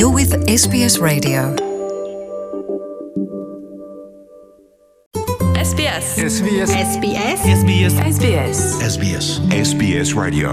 You're with SBS Radio. SBS. SBS. SBS. SBS. SBS. SBS. SBS Radio.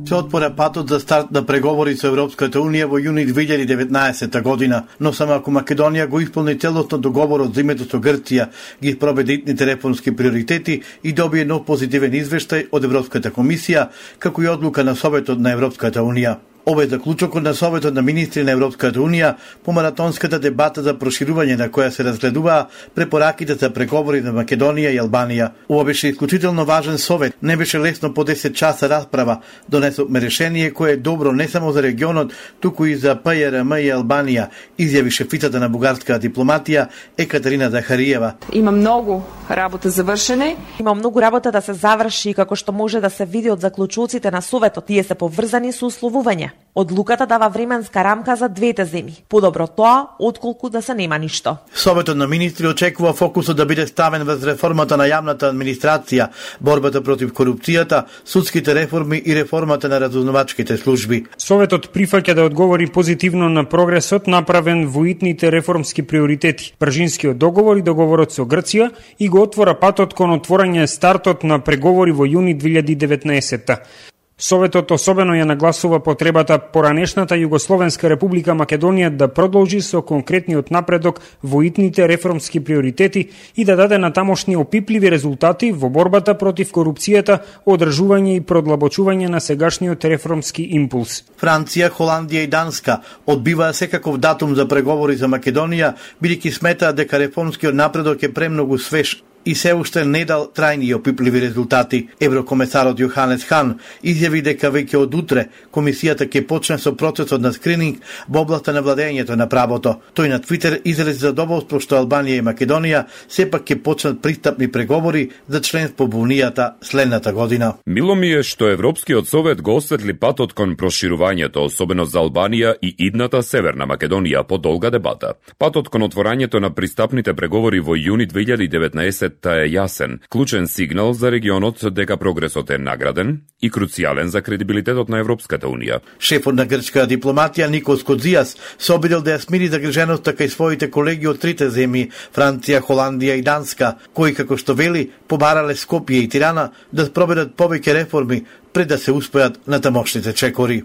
Се отвора патот за старт на преговори со Европската Унија во јуни 2019 година, но само ако Македонија го исполни целосно договорот за името со Грција, ги спроведе итните реформски приоритети и добие нов позитивен извештај од Европската комисија, како и одлука на Советот на Европската Унија. Ова е заклучокот на Советот на министри на Европската Унија по маратонската дебата за проширување на која се разгледуваа препораките за преговори на Македонија и Албанија. Ова беше исклучително важен совет, не беше лесно по 10 часа расправа, донесовме решение кое е добро не само за регионот, туку и за ПЈРМ и Албанија, изјави шефицата на бугарската дипломатија Екатерина Захариева. Има многу работа завршене. Има многу работа да се заврши, како што може да се види од заклучоците на Советот, тие се поврзани со условување. Одлуката дава временска рамка за двете земји. Подобро тоа, отколку да се нема ништо. Советот на министри очекува фокусот да биде ставен врз реформата на јавната администрација, борбата против корупцијата, судските реформи и реформата на разузнавачките служби. Советот прифаќа да одговори позитивно на прогресот направен во итните реформски приоритети, Пржинскиот договор и договорот со Грција, и го отвора патот кон отворање стартот на преговори во јуни 2019. Советот особено ја нагласува потребата поранешната Југословенска република Македонија да продолжи со конкретниот напредок во итните реформски приоритети и да даде на тамошни опипливи резултати во борбата против корупцијата, одржување и продлабочување на сегашниот реформски импулс. Франција, Холандија и Данска одбиваа секаков датум за преговори за Македонија, бидејќи сметаат дека реформскиот напредок е премногу свеж и се уште не дал трајни и опипливи резултати. Еврокомесарот Јоханес Хан изјави дека веќе од утре комисијата ќе почне со процесот на скрининг во областа на владењето на правото. Тој на Твитер изрази задоволство што Албанија и Македонија сепак ќе почнат пристапни преговори за членство во Унијата следната година. Мило ми е што Европскиот совет го осветли патот кон проширувањето, особено за Албанија и идната Северна Македонија по долга дебата. Патот кон отворањето на пристапните преговори во јуни 2019 е јасен, клучен сигнал за регионот дека прогресот е награден и круцијален за кредибилитетот на Европската Унија. Шефот на грчка дипломатија Никос Кодзијас се обидел да ја смири загриженоста кај своите колеги од трите земји, Франција, Холандија и Данска, кои, како што вели, побарале Скопје и Тирана да спроведат повеќе реформи пред да се успеат на тамошните чекори.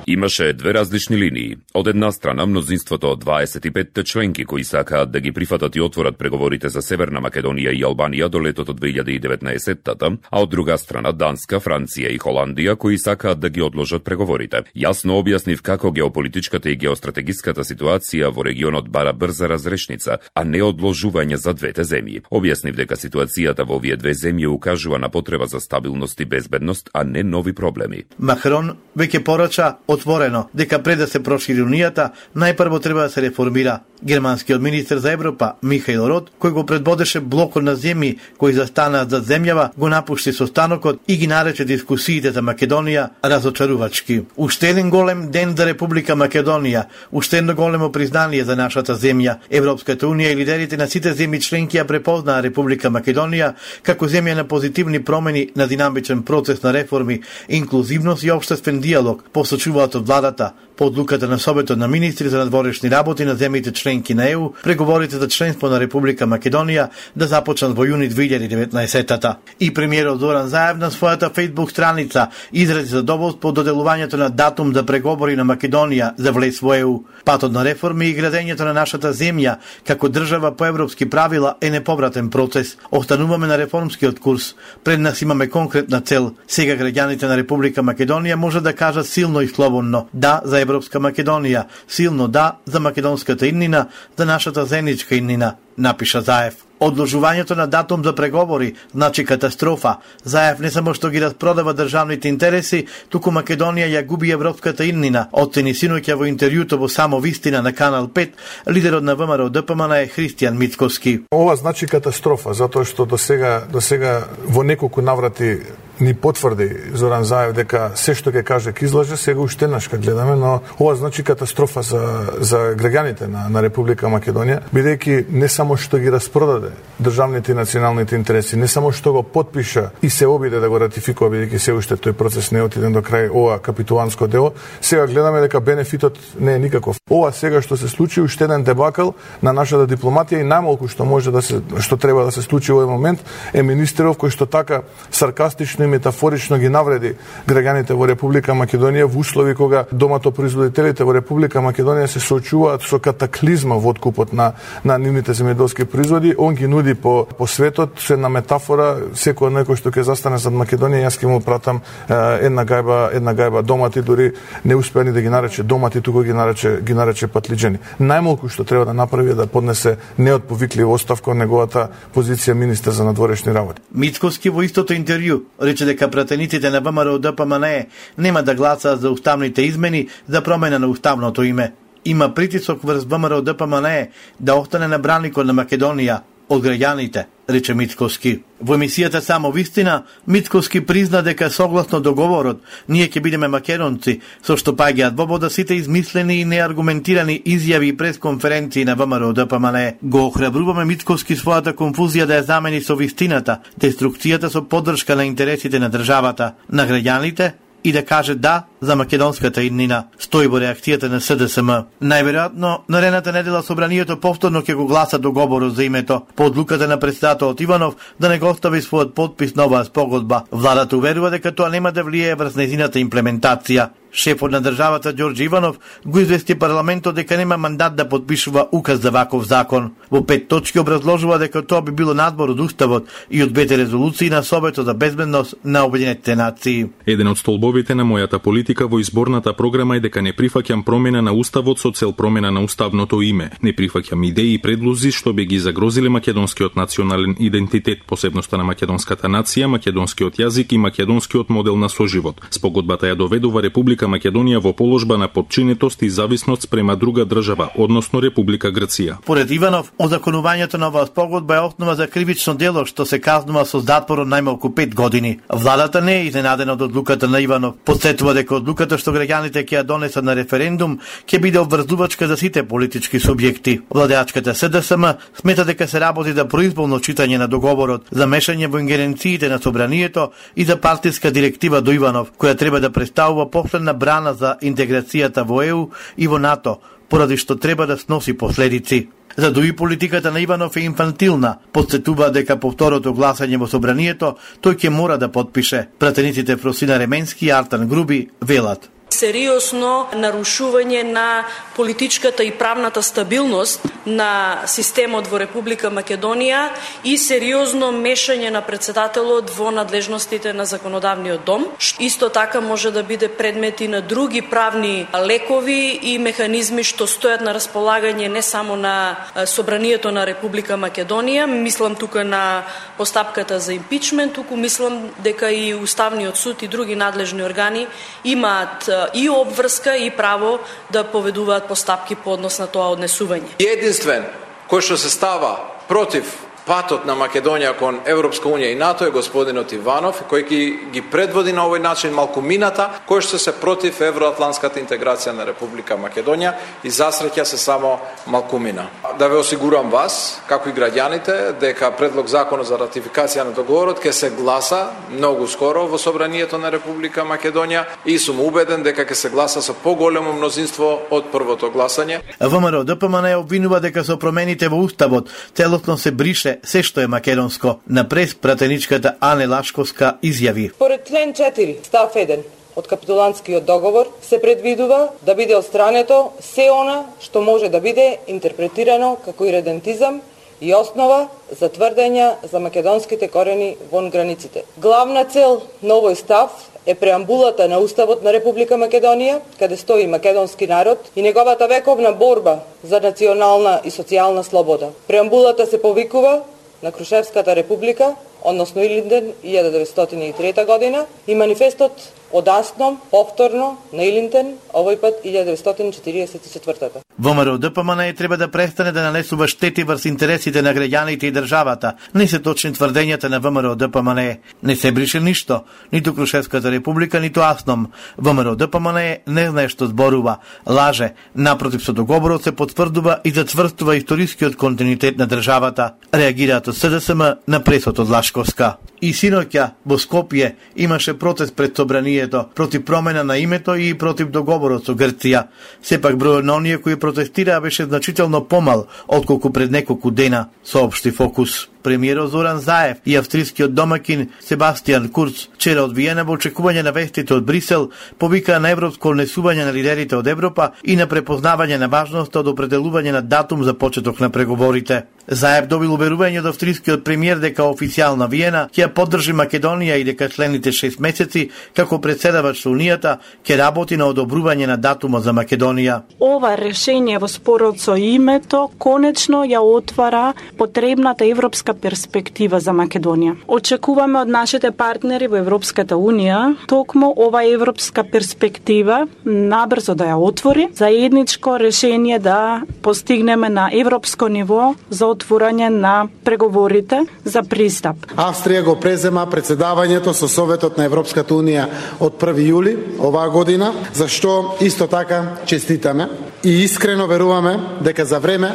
Имаше две различни линии. Од една страна мнозинството од 25 членки кои сакаат да ги прифатат и отворат преговорите за Северна Македонија и Албанија до летото 2019-тата, а од друга страна Данска, Франција и Холандија кои сакаат да ги одложат преговорите. Јасно објаснив како геополитичката и геостратегиската ситуација во регионот бара брза разрешница, а не одложување за двете земји. Објаснив дека ситуацијата во овие две земји укажува на потреба за стабилност и безбедност, а не нови проблеми. Макрон веќе порача отворено дека пред да се прошири Унијата, најпрво треба да се реформира. Германскиот министер за Европа Михаил Рот, кој го предводеше блокот на земји кои застанаат за земјава, го напушти состанокот и ги нарече дискусиите за Македонија разочарувачки. Уште еден голем ден за Република Македонија, уште едно големо признание за нашата земја. Европската Унија и лидерите на сите земји членки ја препознаа Република Македонија како земја на позитивни промени, на динамичен процес на реформи, инклузивност и општествен диалог, посочуваат од владата. По одлуката на Советот на министри за надворешни работи на земјите членки на ЕУ, преговорите за членство на Република Македонија да започнат во јуни 2019-тата. И премиерот Зоран Заев на својата фејсбук страница изрази задоволство од доделувањето на датум за преговори на Македонија за влез во ЕУ. Патот на реформи и градењето на нашата земја како држава по европски правила е неповратен процес. Остануваме на реформскиот курс. Пред нас имаме конкретна цел. Сега граѓаните на Република Македонија може да кажат силно и слободно да за Европска Македонија, силно да за македонската иднина, за нашата заедничка иднина, напиша Заев. Одложувањето на датум за преговори значи катастрофа. Заев не само што ги распродава државните интереси, туку Македонија ја губи европската иднина. Оцени синоќа во интервјуто во Само вистина на Канал 5, лидерот на ВМРО ДПМН е Христијан Мицковски. Ова значи катастрофа, затоа што до сега во неколку наврати ни потврди Зоран Заев дека се што ќе каже ќе излаже, сега уште еднаш ка гледаме, но ова значи катастрофа за граѓаните на Република Македонија, бидејќи не само што ги распродаде државните и националните интереси, не само што го потпиша и се обиде да го ратификува, бидејќи се уште тој процес не е отиден до крај, ова капитуланско дело, сега гледаме дека бенефитот не е никаков. Ова сега што се случи уште еден дебакл на нашата дипломатија и најмалку што треба да се случи во овој момент е министеров кој што така саркастично и метафорично ги навреди граѓаните во Република Македонија во услови кога доматопроизводителите во Република Македонија се соочуваат со катаклизма во откупот на нивните земјоделски производи. Он ги нуди по светот со една метафора, секој некој што ќе застане зад Македонија, јас ќе му пратам една гајба домати, дури не успеа ни да ги нарече домати, туку ги нарече патлиџани. Најмалку што треба да направи е да поднесе неотповиклива оставка од неговата позиција министер за надворешни работи. Мицкоски во истото интервју рече дека пратениците на ВМРО ДПМНЕ нема да гласаат за уставните измени за промена на уставното име. Има притисок врз ВМРО ДПМНЕ да остане на браникот на Македонија од граѓаните, рече Мицкоски. Во емисијата Само вистина, Мицкоски призна дека согласно договорот ние ќе бидеме македонци, со што паѓаат во вода сите измислени и неаргументирани изјави и пресконференции на ВМРО ДПМНЕ. Го охрабруваме Мицкоски својата конфузија да ја замени со вистината, деструкцијата со поддршка на интересите на државата, на граѓаните и да каже да за македонската иднина, стои во реакцијата на СДСМ. Најверојатно, наредната недела собранието повторно ќе го гласа договорот за името, по одлуката на претседателот Иванов да не го остави својот подпис на оваа спогодба. Владата уверува дека тоа нема да влијае врз нејзината имплементација. Шефот на државата Ѓорѓе Иванов го извести парламентот дека нема мандат да подпишува указ за ваков закон. Во 5 точки образложува дека тоа би било надбор од уставот и од 2 резолуции на Советот за безбедност на Обединетите нации. Еден од столбовите на мојата политика во изборната програма е дека не прифаќам промена на уставот со цел промена на уставното име. Не прифаќам идеи и предлози што би ги загрозиле македонскиот национален идентитет, посебноста на македонската нација, македонскиот јазик и македонскиот модел на соживот. Спогодбата ја доведува Република Македонија во положба на подчинетост и зависност спрема друга држава, односно Република Грција. Поред Иванов, озаконувањето на оваа спогодба е основа за кривично дело што се казнува со затвор од најмалку 5 години. Владата не е изненадена од одлуката на Иванов. Подсетува дека одлуката што граѓаните ќе ја донесат на референдум ќе биде обврзувачка за сите политички субјекти. Владеачката СДСМ смета дека се работи за произволно читање на договорот, за мешање во ингеренциите на собранието и за партиска директива до Иванов, која треба да представува последна брана за интеграцијата во ЕУ и во НАТО, поради што треба да сноси последици. За дуи политиката на Иванов е инфантилна, подсетува дека по второто гласање во собранието тој ќе мора да подпише. Пратениците Фросина Ременски и Артан Груби велат: сериозно нарушување на политичката и правната стабилност на системот во Република Македонија и сериозно мешање на претседателот во надлежностите на законодавниот дом. Исто така може да биде предмет и на други правни лекови и механизми што стојат на располагање не само на собранието на Република Македонија, мислам тука на постапката за импичмент, туку мислам дека и Уставниот суд и други надлежни органи имаат и обврска и право да поведуваат постапки по однос на тоа однесување. Единствен кој што се става против патот на Македонија кон Европска унија и НАТО е господинот Иванов, кој ги предводи на овој начин малкумината, кој што се против евроатлантската интеграција на Република Македонија и засреќа се само малкумина. Да ве осигурам вас, како и граѓаните, дека предлог закон за ратификација на договорот ќе се гласа многу скоро во собранието на Република Македонија и сум убеден дека ќе се гласа со поголемо мнозинство од првото гласање. ВМРО ДПМНЕ обвинува дека со промените во уставот целосно се брише се што е македонско. На прес пратеничката Ане Лашковска изјави: Според член 4, став 1 од капитуланскиот договор се предвидува да биде отстрането се она што може да биде интерпретирано како иредентизам и основа за тврдења за македонските корени вон границите. Главна цел на овој став е преамбулата на Уставот на Република Македонија, каде стои македонски народ и неговата вековна борба за национална и социјална слобода. Преамбулата се повикува на Крушевската република, односно Илинден 1903 година и манифестот од Асном, повторно на Илинден, овој пат 1944. ВМРО ДПМНЕ треба да престане да нанесува штети врз интересите на граѓаните и државата. Не се точни тврдењата на ВМРО ДПМНЕ. Не се брише ништо, ниту Крушевската република, ниту АСНОМ. ВМРО ДПМНЕ не знае што зборува, лаже. Напротив, со договорот се потврдува и затврстува историскиот континуитет на државата. Реагираат од СДСМ на пресот од Лашковска. И синоќа во Скопје имаше протест пред собранието против промена на името и против договорот со Грција. Сепак бројот на оние кои протестираа беше значително помал отколку пред неколку дена, соопшти Фокус. Премиерот Зоран Заев и австрискиот домакин Себастијан Курц вчера од Виена во очекување на вестите од Брисел повикаа на европско однесување на лидерите од Европа и на препознавање на важноста од определување на датум за почеток на преговорите. Заев добил уверување од австрискиот премиер дека официјална Виена ќе поддржи Македонија и дека следните 6 месеци како председавач со Унијата ќе работи на одобрување на датумот за Македонија. Ова решение во спорот со името конечно ја отвара потребната европска перспектива за Македонија. Очекуваме од нашите партнери во Европската Унија токму ова европска перспектива набрзо да ја отвори, заедничко решение да постигнеме на европско ниво за отворање на преговорите за пристап. Австрија го презема председавањето со Советот на Европската Унија од 1 јули оваа година, за што исто така честитаме и искрено веруваме дека за време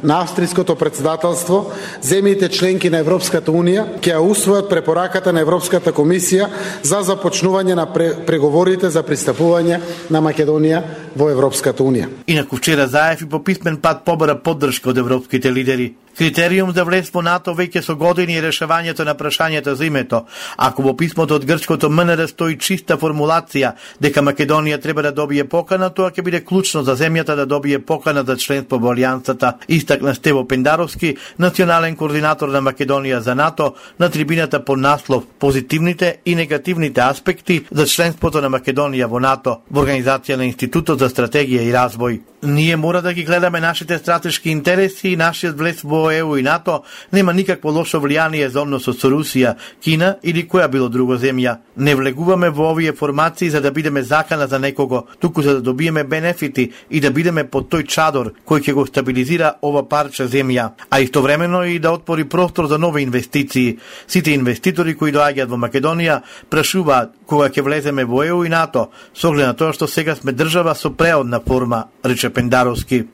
на австриското председателство, земјите членки на Европската Унија ќе ја усвојат препораката на Европската комисија за започнување на преговорите за пристапување на Македонија во Европската Унија. Инаку вчера Заев и по писмен пат побара поддршка од европските лидери. Критериум за влез во НАТО веќе со години е решавањето на прашањето за името. Ако во писмото од грчкото МНР стои чиста формулација дека Македонија треба да добие покана, тоа ќе биде клучно за земјата да добие покана за членство во алијансата, истакна Стево Пендаровски, национален координатор на Македонија за НАТО, на трибината под наслов Позитивните и негативните аспекти за членството на Македонија во НАТО во организација на Институтот за стратегија и развој. Ние мора да ги гледаме нашите стратешки интереси и нашиот влез во ЕУ и НАТО нема никакво лошо влијание за односот со Русија, Кина или која било друго земја. Не влегуваме во овие формации за да бидеме закана за некого, туку за да добиеме бенефити и да бидеме под тој чадор кој ќе го стабилизира ова парче земја, а истовремено и да отвори простор за нови инвестиции. Сите инвеститори кои доаѓаат во Македонија прашуваат кога ќе влеземе во ЕУ и НАТО, со оглед на тоа што сега сме држава со преодна форма, рече Пендаровски.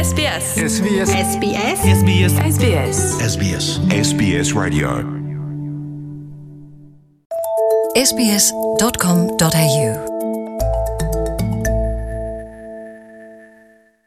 SBS. SBS. SBS. SBS. SBS. SBS. SBS Radio. SBS.com.au